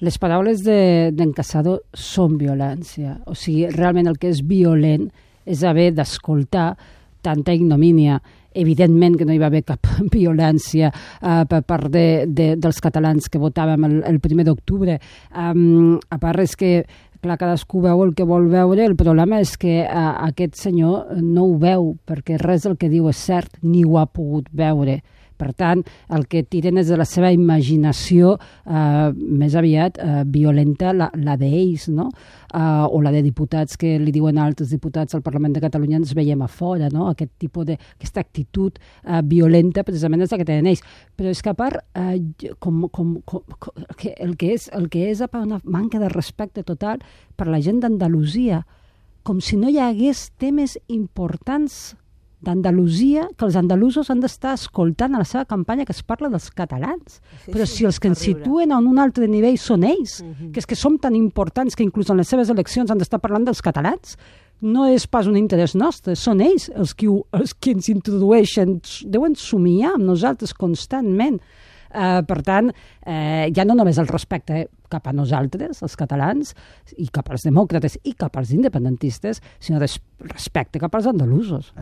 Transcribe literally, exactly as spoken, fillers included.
Les paraules d'en de, Casado són violència. O sigui, realment el que és violent és haver d'escoltar tanta ignomínia. Evidentment que no hi va haver cap violència uh, per part de, de, dels catalans que votàvem el, el primer d'octubre. Um, a part és que, clar, cadascú veu el que vol veure. El problema és que uh, aquest senyor no ho veu, perquè res del que diu és cert, ni ho ha pogut veure. Per tant, el que tiren és de la seva imaginació eh, més aviat eh, violenta, la, la d'ells, no? Uh, o la de diputats que li diuen a altres diputats al Parlament de Catalunya ens veiem a fora, no? Aquest tipus de, aquesta actitud uh, violenta precisament és la que tenen ells. Però és que a part, uh, com, com, com, que el, que és, el que és una manca de respecte total per la gent d'Andalusia, com si no hi hagués temes importants d'Andalusia, que els andalusos han d'estar escoltant a la seva campanya que es parla dels catalans. Sí, però si els que ens situen a un altre nivell són ells, uh-huh. que és que som tan importants que inclús en les seves eleccions han d'estar parlant dels catalans, no és pas un interès nostre, són ells els que, els que ens introdueixen, deuen somiar amb nosaltres constantment. Uh, per tant, uh, ja no només el respecte cap a nosaltres, els catalans, i cap als demòcrates i cap als independentistes, sinó respecte cap als andalusos.